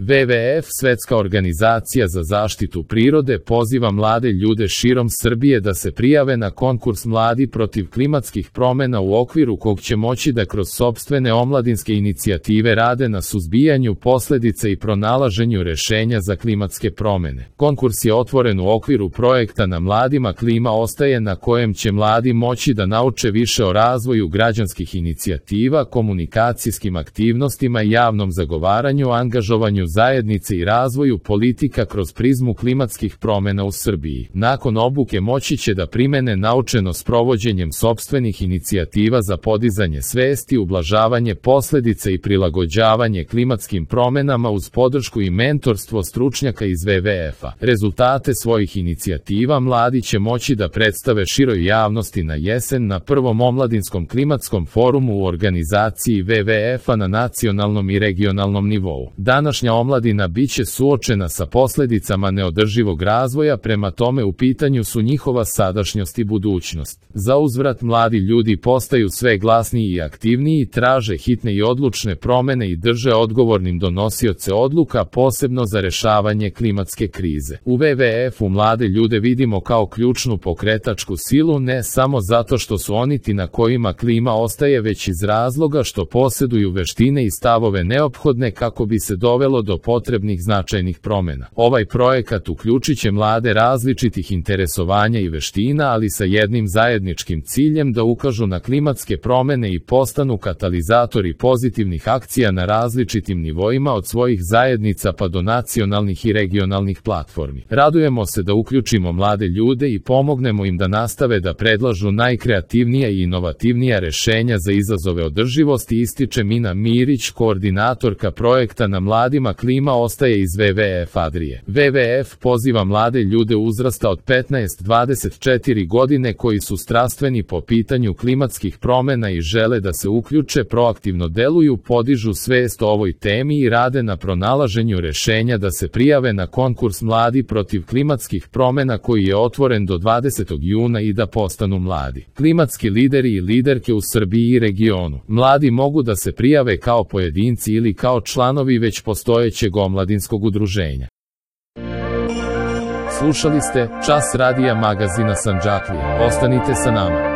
WWF, Svetska organizacija za zaštitu prirode, poziva mlade ljude širom Srbije da se prijave na konkurs Mladi protiv klimatskih promena u okviru kog će moći da kroz sopstvene omladinske inicijative rade na suzbijanju posledica i pronalaženju rešenja za klimatske promene. Konkurs je otvoren u okviru projekta Na mladima klima ostaje, na kojem će mladi moći da nauče više o razvoju građanskih inicijativa, komunikacijskim aktivnostima i javnom zagovaranju, angažovanju zajednice i razvoju politika kroz prizmu klimatskih promena u Srbiji. Nakon obuke moći će da primene naučeno sprovođenjem sopstvenih inicijativa za podizanje svesti, ublažavanje posledica i prilagođavanje klimatskim promenama uz podršku i mentorstvo stručnjaka iz WWF-a. Rezultate svojih inicijativa mladi će moći da predstave široj javnosti na jesen na prvom omladinskom klimatskom forumu u organizaciji WWF-a na nacionalnom i regionalnom nivou. Današnja omladina biće suočena sa posledicama neodrživog razvoja, prema tome u pitanju su njihova sadašnjost i budućnost. Za uzvrat mladi ljudi postaju sve glasniji i aktivniji, traže hitne i odlučne promene i drže odgovornim donosioce odluka, posebno za rešavanje klimatske krize. U WWF-u mlade ljude vidimo kao ključnu pokretačku silu, ne samo zato što su oni ti na kojima klima ostaje, već iz razloga što posjeduju veštine i stavove neophodne kako bi se dovelo do potrebnih značajnih promena. Ovaj projekat uključit će mlade različitih interesovanja i veština, ali sa jednim zajedničkim ciljem da ukažu na klimatske promene i postanu katalizatori pozitivnih akcija na različitim nivoima od svojih zajednica pa do nacionalnih i regionalnih platformi. Radujemo se da uključimo mlade ljude i pomognemo im da nastave da predlažu najkreativnija i inovativnija rešenja za izazove održivosti, ističe Mina Mirić, koordinatorka projekta Na mladima klima ostaje iz WWF Adrije. WWF poziva mlade ljude uzrasta od 15-24 godine koji su strastveni po pitanju klimatskih promena i žele da se uključe, proaktivno deluju, podižu svest o ovoj temi i rade na pronalaženju rešenja da se prijave na konkurs Mladi protiv klimatskih promena koji je otvoren do 20. juna i da postanu mladi klimatski lideri i liderke u Srbiji i regionu. Mladi mogu da se prijave kao pojedinci ili kao članovi već postojećeg omladinskog udruženja. Slušali ste Čas radija magazina Sandžaklija. Ostanite sa nama.